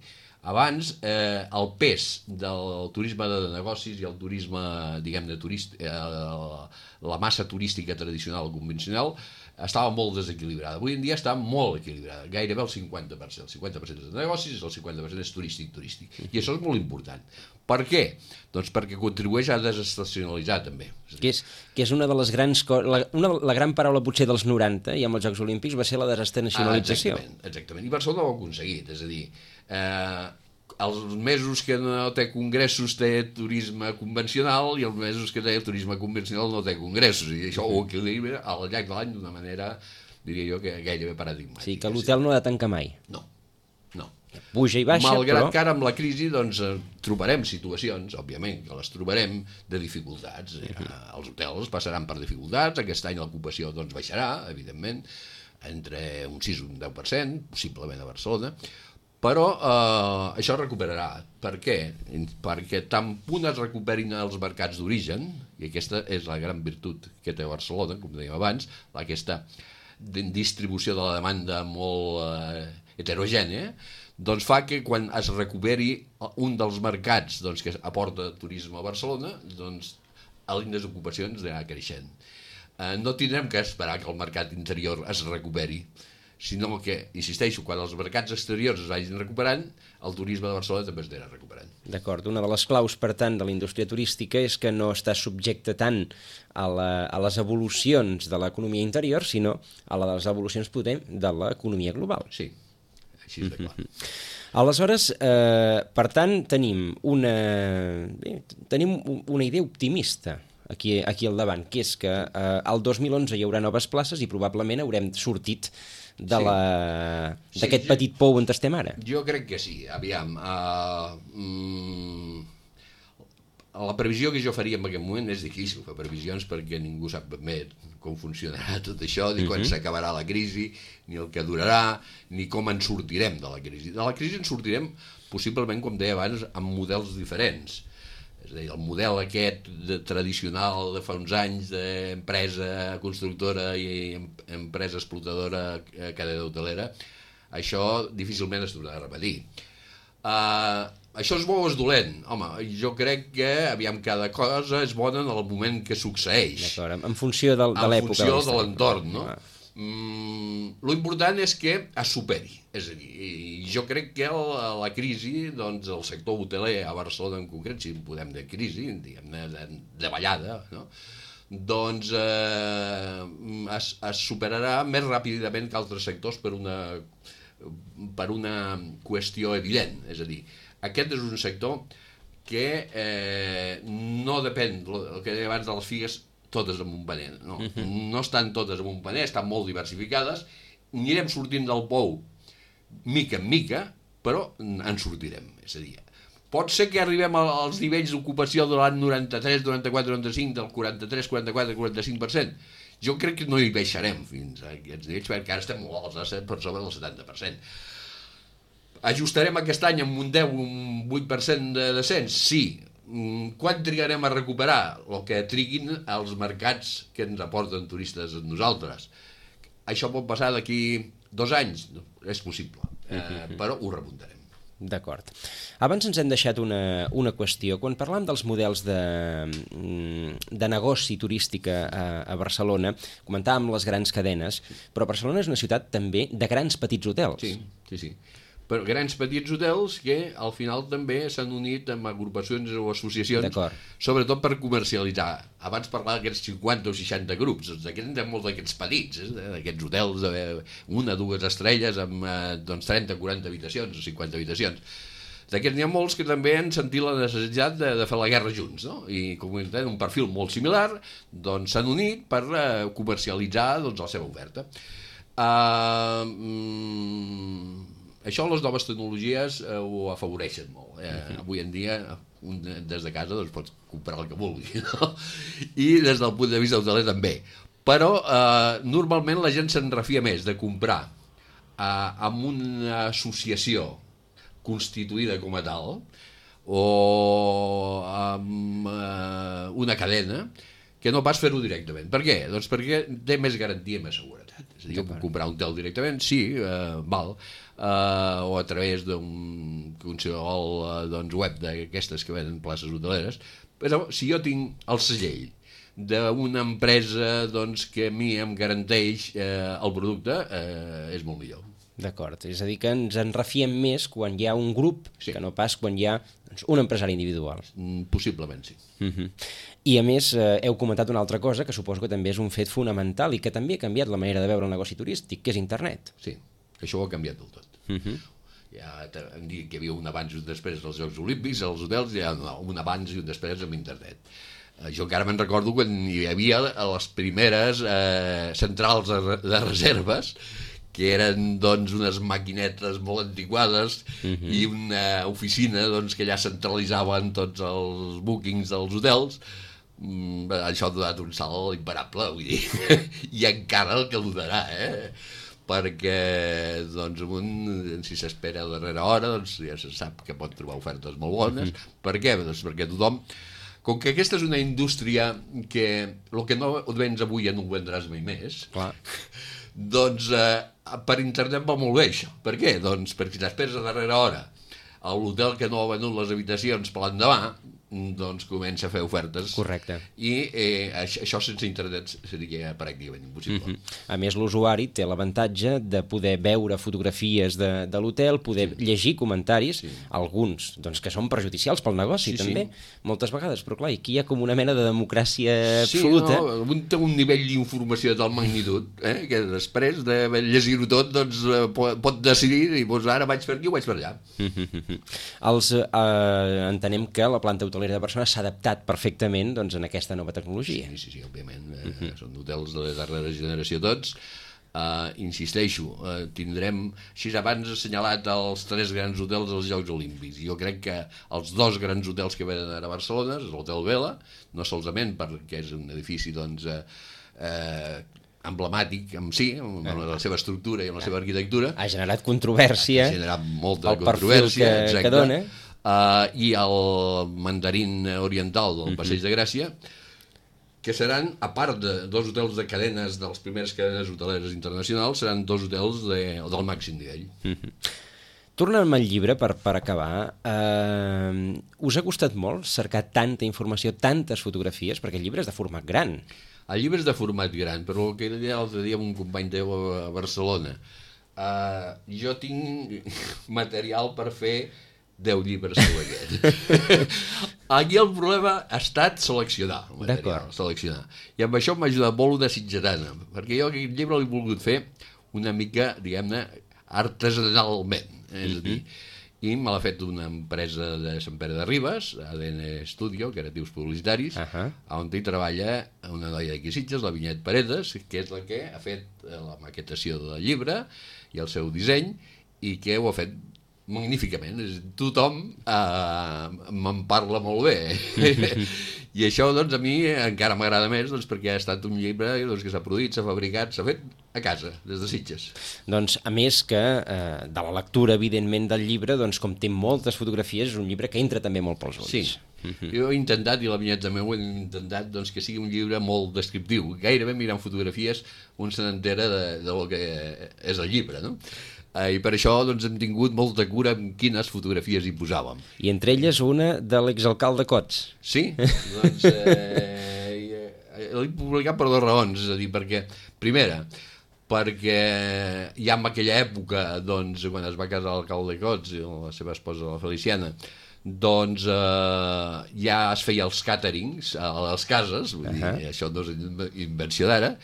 Abans, eh, el pes del turisme de negocis i el turisme, diguem-ne, turist, eh, la massa turística tradicional o convencional estava molt desequilibrada. Avui en dia està molt equilibrada, gairebé el cinquanta per cent. El cinquanta per cent és de negocis i el cinquanta per cent és turístic-turístic. I això és molt important. Per què? Doncs perquè contribueix a desestacionalitzar, també. Que és, que és una de les grans... La, una, la gran paraula, potser, dels noranta, i amb els Jocs Olímpics, va ser la desestacionalització. Ah, exactament, exactament. I Barcelona ho ha aconseguit. És a dir, eh, els mesos que no té congressos té turisme convencional i els mesos que té turisme convencional no té congressos. I això ho equilibra al llarg de l'any d'una manera, diria jo, que gairebé paradigmàtica. Sí, que l'hotel no ha de tancar mai. No. no. Puja i baixa, Malgrat però... que ara amb la crisi doncs, trobarem situacions, òbviament, que les trobarem de dificultats. Uh-huh. Els hotels passaran per dificultats, aquest any l'ocupació doncs, baixarà, evidentment, entre un sis i un deu per cent, possiblement a Barcelona, però eh, això es recuperarà. Per què? Perquè tan punt es recuperin els mercats d'origen, i aquesta és la gran virtut que té Barcelona, com dèiem abans, aquesta distribució de la demanda molt eh, heterogènia, doncs fa que quan es recuperi un dels mercats doncs, que aporta turisme a Barcelona, doncs l'índex d'ocupacions anirà creixent. Eh, no tindrem que esperar que el mercat interior es recuperi, sinó que, insisteixo, quan els mercats exteriors es vagin recuperant, el turisme de Barcelona també es anirà recuperant. D'acord. Una de les claus, per tant, de la indústria turística és que no està subjecte tant a, la, a les evolucions de l'economia interior, sinó a les evolucions potents de l'economia global. Sí. Així és de clar. Aleshores, eh, per tant, tenim una, bé, tenim una idea optimista aquí, aquí al davant, que és que eh, el dos mil onze hi haurà noves places i probablement haurem sortit de la, sí. d'aquest sí, petit pou on estem ara. Jo crec que sí. Aviam, uh, mm, la previsió que jo faria en aquest moment és difícil fer previsions perquè ningú sap ben bé com funcionarà tot això, ni quan uh-huh. s'acabarà la crisi, ni el que durarà, ni com en sortirem de la crisi. De la crisi en sortirem, possiblement, com deia abans, amb models diferents. És a dir, el model aquest de, tradicional de fa uns anys d'empresa constructora i empresa explotadora, cadena hotelera, això difícilment es tornarà a repetir. Uh, això és bo o és dolent? Home, jo crec que, aviam, cada cosa és bona en el moment que succeeix. D'acord, en funció de, de l'època. En funció de l'entorn, no? Ah. Mm, l'important és que es superi. És a dir, jo crec que la, la crisi, doncs el sector hoteler a Barcelona en concret, si en podem dir crisi, diguem-ne, de, de ballada, no? Doncs eh, es, es superarà més ràpidament que altres sectors per una... per una qüestió evident, és a dir, aquest és un sector que eh, no depèn, el que deia abans de les figues, totes amb un paner, no, uh-huh. no estan totes amb un paner, estan molt diversificades, anirem sortint del pou mica en mica, però en sortirem, és a dir, pot ser que arribem als nivells d'ocupació de l'any noranta-tres, noranta-quatre, noranta-cinc, del quaranta-tres, quaranta-quatre, quaranta-cinc per cent. Jo crec que no hi baixarem fins a aquests nivells, perquè ara estem molt alts, per sobre del setanta per cent. Ajustarem aquest any amb un deu, un vuit per cent de descens? Sí. Quan trigarem a recuperar? El que triguin els mercats que ens aporten turistes a nosaltres. Això pot passar d'aquí dos anys? És possible, eh, però ho remuntarem. D'acord. Abans ens hem deixat una, una qüestió. Quan parlàvem dels models de, de negoci turístic a, a Barcelona, comentàvem les grans cadenes, però Barcelona és una ciutat també de grans petits hotels. Sí, sí, sí. Però grans petits hotels que al final també s'han unit amb agrupacions o associacions, sobretot per comercialitzar. Abans parlava d'aquests cinquanta o seixanta grups, doncs d'aquests en molts d'aquests petits, eh? D'aquests hotels de una, dues estrelles amb doncs, trenta, quaranta habitacions o cinquanta habitacions. D'aquests n'hi ha molts que també han sentit la necessitat de, de fer la guerra junts, no? I com tenen un perfil molt similar, doncs s'han unit per uh, comercialitzar doncs, la seva oferta. Uh, mm, Això les noves tecnologies eh, ho afavoreixen molt. Eh? Uh-huh. Avui en dia, un des de casa doncs, pots comprar el que vulgui, no? I des del punt de vista hoteler també. Però eh, normalment la gent se'n refia més de comprar eh, amb una associació constituïda com a tal o amb eh, una cadena que no pas fer-ho directament. Per què? Doncs perquè té més garantia i més seguretat. És a dir, jo puc comprar un hotel directament, sí, eh, val, Uh, o a través d'un qualsevol uh, doncs, web d'aquestes que venen places hoteleres, però si jo tinc el segell d'una empresa doncs, que a mi em garanteix uh, el producte, uh, és molt millor. D'acord, és a dir que ens en refiem més quan hi ha un grup sí. que no pas quan hi ha doncs, un empresari individual. Mm, possiblement sí. Uh-huh. I a més eh, heu comentat una altra cosa que suposo que també és un fet fonamental i que també ha canviat la manera de veure el negoci turístic, que és internet. Sí. Això ho ha canviat del tot. Uh-huh. Ja hem dit que hi havia un abans i un després dels Jocs Olímpics, als hotels hi ha un abans i un després amb internet. Eh, jo encara me'n recordo quan hi havia les primeres eh, centrals de, de reserves que eren doncs unes maquinetes molt antiquades uh-huh. i una oficina doncs, que allà centralitzaven tots els bookings dels hotels. Mm, això ha donat un salt imparable, vull dir, i encara el que ho donarà, eh? Perquè doncs, un, si s'espera a darrera hora doncs, ja se sap que pot trobar ofertes molt bones. Uh-huh. Per què? Doncs perquè tothom, com que aquesta és una indústria que el que no vens avui ja no ho vendràs mai més, clar. Doncs eh, per internet va molt bé això. Per què? Doncs perquè si t'esperes a darrera hora a l'hotel que no ha venut les habitacions per l'endemà, doncs comença a fer ofertes. Correcte. I eh, això, això sense internet seria pràcticament impossible. Mm-hmm. A més, l'usuari té l'avantatge de poder veure fotografies de, de l'hotel, poder sí. llegir comentaris, sí. alguns doncs, que són perjudicials pel negoci, sí, també, sí. moltes vegades, però clar, aquí hi ha com una mena de democràcia sí, absoluta. No, un té un nivell d'informació de tal magnitud, eh, que després de llegir-ho tot doncs, pot, pot decidir i doncs, ara vaig per aquí o vaig per allà. Mm-hmm. Els, eh, entenem que la planta hotelera de Barcelona s'ha adaptat perfectament doncs, en aquesta nova tecnologia. Sí, sí, sí, òbviament. Eh, uh-huh. Són hotels de la darrera generació tots. Uh, insisteixo, uh, tindrem, així abans assenyalat els tres grans hotels dels Jocs Olímpics. Jo crec que els dos grans hotels que venen a Barcelona és l'Hotel Vela, no solament perquè és un edifici doncs, eh, eh, emblemàtic en si, amb la seva estructura i amb la seva arquitectura. Ha generat controvèrsia. Ha generat molta controvèrsia, que, exacte. Que dona. Uh, i el mandarín oriental del Passeig de Gràcia, que seran, a part de dos hotels de cadenes de les primeres cadenes hoteleres internacionals, seran dos hotels de, del màxim nivell. Mm-hmm. Tornant al llibre, per, per acabar, eh, us ha costat molt cercar tanta informació, tantes fotografies, perquè el llibre és de format gran. El llibre és de format gran, però el que deia l'altre dia amb un company teu a Barcelona, uh, jo tinc material per fer deu llibres com aquest. Aquí el problema ha estat seleccionar el material, seleccionar. I amb això m'ha ajudat molt una sitgetana, perquè jo aquest llibre l'he volgut fer una mica, diguem-ne, artesanalment. És a dir, i me l'ha fet una empresa de Sant Pere de Ribes, A D N Studio, Creatius Publicitaris, uh-huh. on hi treballa una noia d'aquí Sitges, la Vinyet Paredes, que és la que ha fet la maquetació del llibre i el seu disseny, i que ho ha fet magníficament. Tothom eh, me'n parla molt bé. I això, doncs, a mi encara m'agrada més, doncs, perquè ha estat un llibre doncs, que s'ha produït, s'ha fabricat, s'ha fet a casa, des de Sitges. Doncs, a més que eh, de la lectura, evidentment, del llibre, doncs, com té moltes fotografies, és un llibre que entra també molt pels ulls. Sí. Mm-hmm. Jo he intentat, i la Vinyet també ho he intentat, doncs, que sigui un llibre molt descriptiu. Gairebé mirant fotografies un se n'entera de, del que és el llibre, no? I per això doncs, hem tingut molta cura en quines fotografies hi posàvem. I entre elles una de l'exalcalde Cots. Sí, doncs eh, l'he publicat per dues raons, és a dir, perquè, primera, perquè ja en aquella època, doncs, quan es va casar l'alcalde Cots i la seva esposa, la Feliciana, doncs eh, ja es feia els càterings a les cases, vull uh-huh. dir, això no és invenció d'ara,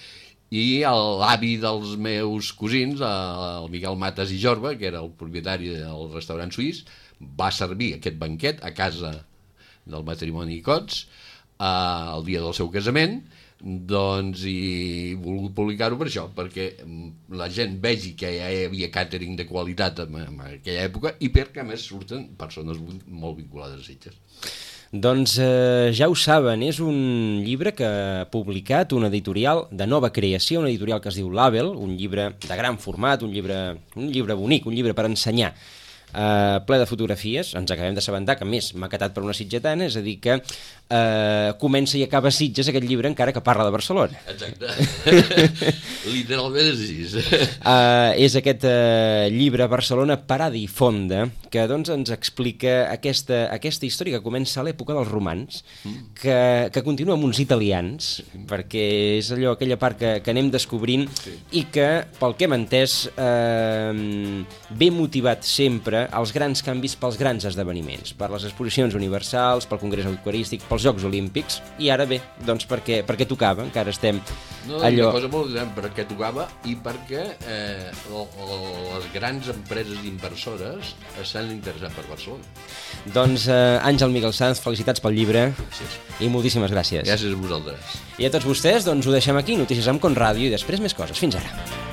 i l'avi dels meus cosins, el Miquel Matas i Jorba, que era el propietari del restaurant suís, va servir aquest banquet a casa del matrimoni Cots eh, el dia del seu casament, doncs i he volgut publicar-ho per això, perquè la gent vegi que ja hi havia càtering de qualitat en, en aquella època i perquè a més surten persones molt vinculades a Sitges. Doncs eh, ja ho saben, és un llibre que ha publicat una editorial de nova creació, una editorial que es diu Label, un llibre de gran format, un llibre, un llibre bonic, un llibre per ensenyar, eh, ple de fotografies. Ens acabem d'assabentar que, a més, maquetat per una sitgetana, és a dir que eh, comença i acaba Sitges aquest llibre encara que parla de Barcelona. Exacte. Literalment és així. Uh, és aquest uh, llibre Barcelona parada i fonda que doncs, ens explica aquesta, aquesta història que comença a l'època dels romans, mm. que, que continua amb uns italians, mm. perquè és allò, aquella part que, que anem descobrint sí. i que, pel que hem entès, uh, ve motivat sempre als grans canvis pels grans esdeveniments, per les exposicions universals, pel Congrés Eucarístic, pels Jocs Olímpics, i ara bé, doncs perquè, perquè tocava, encara estem no, allò... Una cosa molt gran, perquè tocava i perquè eh, les grans empreses inversores s'han interessat per Barcelona. Doncs eh, Àngel Miguel Sanz, felicitats pel llibre. Gràcies. I moltíssimes gràcies. Gràcies a vosaltres. I a tots vostès, doncs ho deixem aquí, Notícies amb Conràdio, i després més coses. Fins ara.